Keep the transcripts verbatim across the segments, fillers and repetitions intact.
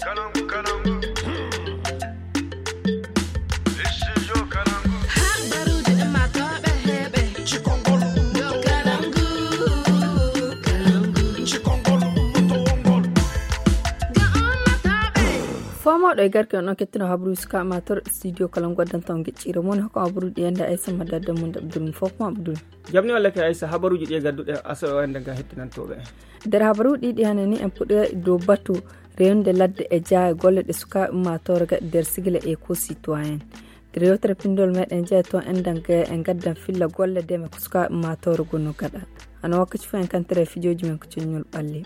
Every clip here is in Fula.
Fomooɗo e garke on ɗon kettino habaruuji suka mator studio kala ngu waddanta on geccire mon hokka habaruuji ɗi enda aysa madadda mum abdul fof mo abdul. Jamni walla ke aysa habaruuji ɗi e gadduɗe aso o enda ga hettinantooɓe en. Nder habaruuji ɗiɗi hannde ni en puɗɗoya dow batu rewnude ladde e jaaye golle ɗe sukaaɓe ummaatoore gaɗi nder sigila éco citoyen. Nder yewtere pinndol meɗen jeya toon enɗan gaya e ngaddan filla golle deme ko sukaaɓe ummaatoore gonno gaɗa. Hano wakkaci fof en kantere e fijooji men ko coññol ɓalli.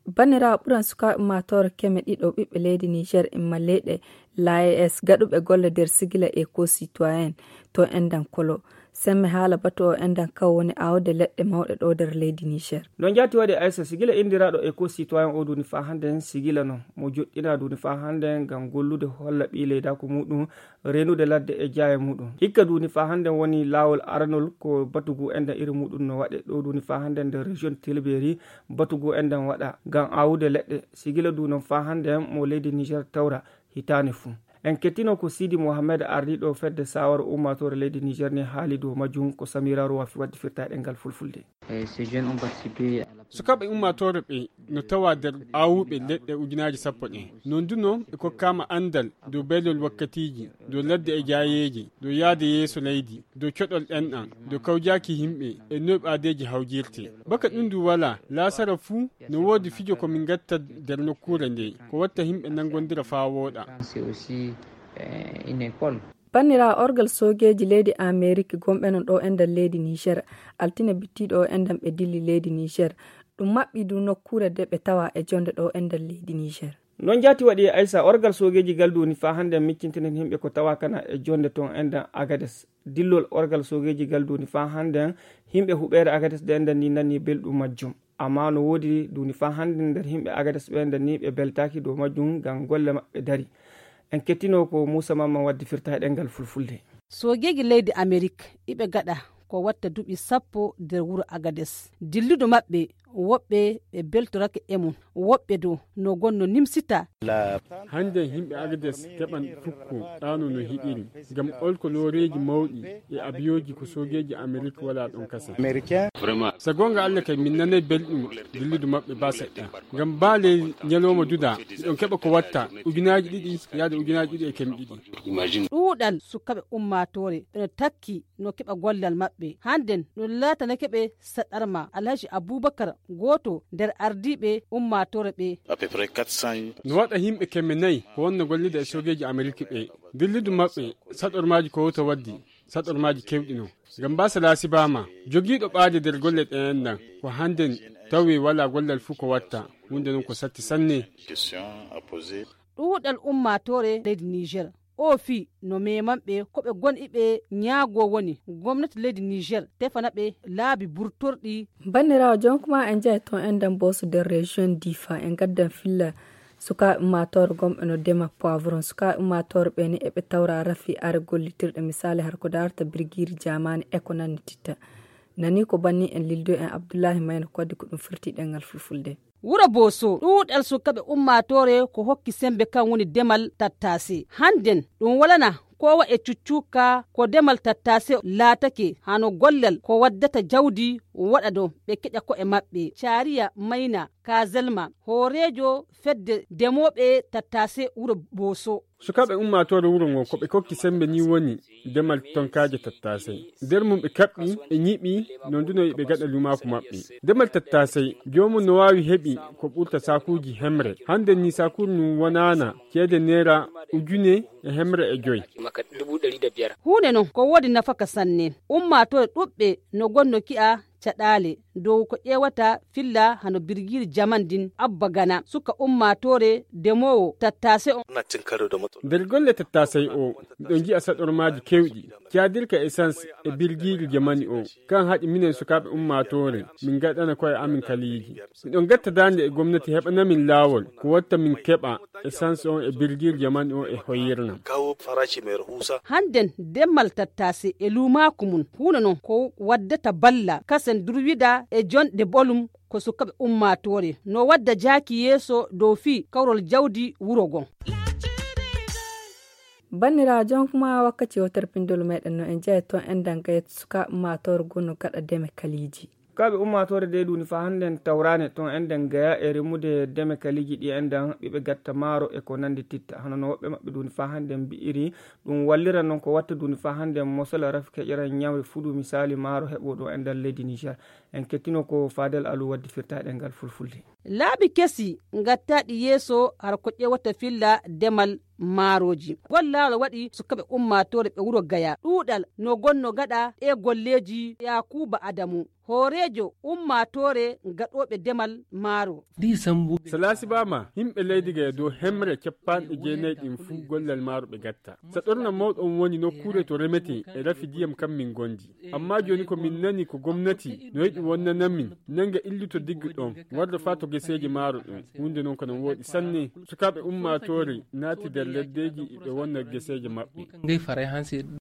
Banniraawo ɓuran sukaaɓe ummaatoore keme ɗiɗo ɓiɓɓe leydi niger imma leyɗe l'AES gaɗuɓe golle nder sigila éco citoyen to enɗan kolo. Semme haala batu o enɗan kaw woni aawde leɗɗe mawɗe ɗo nder leydi niger. No njaati waɗi aysa sigila inndiraaɗo éco citoyen o duuni faa hannde en sigila non mo joɗɗinaa duuni faa hannde en ngam gollude holla ɓii leydaaku muɗum renude ladde e jaaye muɗum. Hikka duuni faa hannde en woni laawol aranol ko batugu enɗan iri muɗum no waɗe ɗo duuni faa hannde en nder région tilberi batugu enɗan waɗa ngam aawude leɗɗe sigila du non faa hannde en mo leydi niger tawra hitaane fuu. En kettino ko sidi mohammed ardiiɗo fedde sawara ummaatoore leydi niger ni haali dow majjum ko samira rowa fi wadde firtaaɗe ngal fulfulde. Sukaaɓe ummaatoore ɓe no tawa nder aawuɓe leɗɗe ujunaaji sappo ɗe non du non ɓe kokkaama anndal dow beelol wakkatiiji dow ladde e jaayeeji dow yahde yeeso leydi dow coɗol ɗenɗan dow kawjaaki yimɓe e noy ɓaadeeji hawjirte. Baka ɗum du walaa laasara fuu no woodi fijo ko min ngatta nder nokkuure nde ko watta yimɓe nanngondira faa wooɗa. Banniraawo orgal soogeeji leydi amerik gomɓe non ɗo enɗan leydi niger altine bittiiɗo o enɗan ɓe dilli leydi niger. Ɗum maɓɓi du nokkuure de ɓe tawa e jonde ɗo enɗan leydi niger. Non jaati waɗi e aysa orgal soogeeji gal duuni faa hannde miccintinen yimɓe ko tawa kana e jonde ton enɗan agades dillol orgal soogeeji gal duuni faa hannde yimɓe huɓeere agades de enɗan ni nani belɗum majjum. Amma no woodi duuni faa hannde nder yimɓe agades ɓe enɗan ni ɓe beltaaki dow majjum ngam golle maɓɓe dari. En kettino ko muusa mamman waddi firta e ɗengal fulfulde. Soogeeji leydi amerik iɓe gaɗa ko watta duuɓi sappo nder wuro agades dilludu maɓɓe. Woɓɓe ɓe beltorake e mum woɓɓe dow no gonno nimsita. Hannde yimɓe agades keɓan fukko ɗaano no hiɗiri ngam olko looreeji mawɗi e abiyooji ko soogeeji amerik wala ɗon kasa. Sa goonga allah kay min nanay belɗum dilludu maɓɓe ba seɗɗa. Ngam ba ley ñalooma duda miɗon keɓa ko watta ujunaaji ɗiɗi yaade ujunaaji ɗiɗi e keme ɗiɗi. Ɗuuɗal sukaɓe ummaatoore ɓeno takki no keɓa gollal maɓɓe hannden ɗum laatanake ɓe saɗarma alhaji abubakar gooto nder ardiiɓe ummaatoore ɓe. No waɗa yimɓe kemme nayi ko wonno gollida e soogeeji ameriki ɓe dilludu maɓɓe saɗormaaji ko wota waddi saɗormaaji kewɗi non. Ngam mbasa laasibaama jogiiɗo ɓaade nder golle ɗeen ɗan ko hannden tawi walaa gollal fuu ko watta. Huunde non ko satti sanne. Ɗuuɗal ummaatoore leydi niger o fii no meemanɓe ko ɓe gon iɓe ñaagoo woni gomnati leydi niger tefana ɓe laabi burtorɗi. Banniraawo jonkuma en njahi toon en ndamboso nder région difa en ngaddan filla sukaaɓe ummaatoore gomɓe no ndema poivron sukaaɓe ummaatoore ɓe ni eɓe tawra rafi are gollitirɗe misaali har ko darata birgiiri jaamaani e ko nanni titta. Nani ko banni en lildo en abdullahi mayno kodde ko ɗum firti ɗengal fulfulde. Wuro boso ɗuuɗal sukaɓe ummaatoore ko hokki sembe kan woni demal tattase hannden ɗum walana kowa e cuccuka ko demal tattase laatake hano gollal ko waddata jawdi waɗa ɗo ɓe keƴa ko'e maɓɓe. Caariya mayna kazelma hooreejo fedde demooɓe tattase wuro boso. Sukaaɓe ummaatoore wuro ngo ko ɓe kokki sembe ni woni demal tonkaaje tattaasay. Nder mum ɓe kaɓɓi ɓe ñiɓi no ndunoyi ɓe gaɗa lumaaku maɓɓe. Demal tattaasay joomum no waawi heɓi ko ɓurta saakuuji hemre. Hannden ni saakuuru ndu wonaana ceede neera ujune e hemre e joy. Huunde non ko woodi nafaka sanne. Ummaatoore ɗuɓɓe no gonno ki'a caɗaale dow ko ƴeewata filla hano birgiiri jaman ndin abba gana suka ummaatoore demoowo tattaase on. Nder golle tattaasay o miɗo nji'a saɗormaaji kewɗi caadirka essence e birgiiri jamani o. Kan haɗi minen sukaaɓe ummaatoore min ngaɗana koye amin kaliiji. Miɗo ngatta daande e gomnati heɓana min laawol ko watta min keɓa essence on e birgiiri jamani o e hoyirnam. Hannden demmal tattaase e luumaaku mum huuno non ko waddata balla kasen durwida e jonɗe bolum. ko sukaɓe ummaatoore no wadda jaaki yeeso dow fii kawrol jawdi wuro ngon. Banniraawo, jonkuma wakkati o terpindol meɗen no en jeya toon en dangayet sukaɓe ummaatoore gonno gaɗa deme kaliiji. Sukaɓe ummaatoore de duni fa hannden tawrane toon en dangaya e remude deme kaliiji ɗi en dan ɓiɓe gatta maaro e ko nandi titta. Hano no woɓɓe maɓɓe duni fa hannden mbi'iri ɗum wallira non ko watta duni fa hannden mosala rafi keƴera ñawe fudu misali maaro heɓo ɗo en dan leydi Niger. En kettino ko Fadel Alu waddi firtaɗe ngal fulfulde. Laabi kesi ngattaaɗi yeeso har ko ƴeewata filla demal maarooji. Ngol laawol waɗi sukaɓe ummaatoore ɓe wuro Gaya. Ɗuuɗal no gonno gaɗa ɗee golleeji Yaakuuba Adamu, hooreejo ummaatoore gaɗooɓe demal maaro. Salaasi baama, yimɓe leydi Gaya dow hemre cappanɗe jeenayi ɗin fuu gollal maaro ɓe gatta. Saɗorna mawɗo on woni nokkuure to remetee e rafi diyam kan min gondi. Amma jooni ko min nani ko gomnati no yiɗi wonnana min nanga illuto diggu ɗon warda faa to geseeji maaro ɗon. Huunde non ko non wooɗi sanne. Sukaaɓe ummaatoore naati nder leddeeji ɓe wonna geseeje maɓɓe.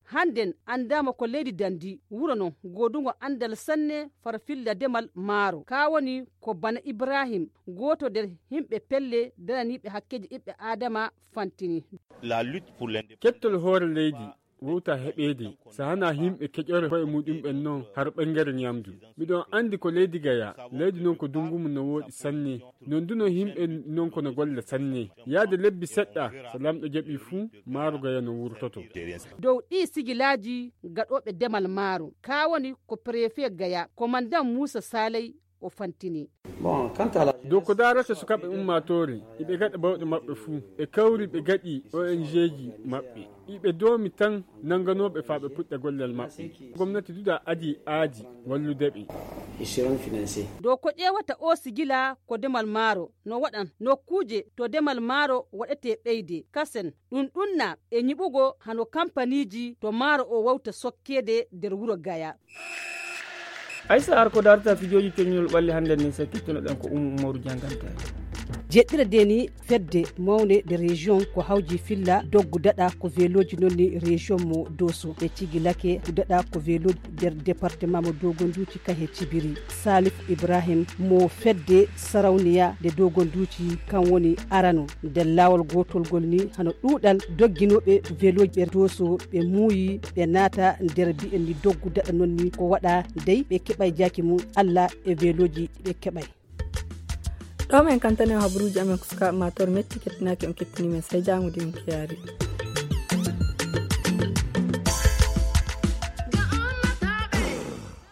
Hannden anndaama ko leydi dandi wuro non goodungo anndal sanne fara filla demal maaro. Kaa woni ko bana Ibrahim, gooto nder yimɓe pelle daraniiɓe hakkeeji ɓiɓɓe Aadama fantini. Kettol hoore leydi wowta heɓeede, so hanaa yimɓe keƴore koye muɗumɓen non har ɓangare ñamdu. Miɗon anndi ko leydi Gaya, leydi non ko dungu mum no wooɗi sanne. Non du no yimɓe non ko no golla sanne. Yaade lebbi seɗɗa, so lamɗo jaɓi fuu, maaro Gaya no wurtoto. Dow ɗii sigilaaji gaɗooɓe demal maaro, kaa woni ko prefet Gaya, komandan Muusa Saalay, o fantini. Dow ko daarata sukaaɓe ummaatoore, iɓe gaɗa bawɗe maɓɓe fuu, ɓe kawri ɓe gaɗi O N G ji maɓɓe. Iɓe doomi tan nannganooɓe faa ɓe puɗɗa gollal maɓɓe. Gomnati duda adi aadi wallude ɓe. Dow ko ƴeewata oo sigila ko demal maaro no waɗan nokkuuje to demal maaro waɗetee ɓeyde kasen. Ɗum ɗunnaa e ñiɓugo hano kampaniiji to maaro o wawta sokkeede nder wuro Gaya. Aysa ar ko darta fijooji coññol ɓalli hannde ni sakkittuno ɗen ko Umu Umaru Jangante. Jeɗɗira de ni fedde mawnde de région ko hawji filla doggu daɗa ko veloji non ni région mo Doso. Ɓe cigilake daɗa ko veloji nder département mo Dogonduuci kahe Cibiri. Salif Ibrahim mo fedde Sarawniya de Dogonduuci kan woni arano nder laawol gootol ngol ni hano ɗuuɗal dogginooɓe veloji ɓe Doso ɓe muuyi ɓe naata nder mbi'en ni doggu daɗa non ni ko waɗa dey ɓe keɓay jaaki mum Allah e veloji ɓe keɓay. Ɗo men kantane o habaruuji amen ko sukaaɓe ma tor metti kettinaaki on kettini men sey jaamude on kiyaari.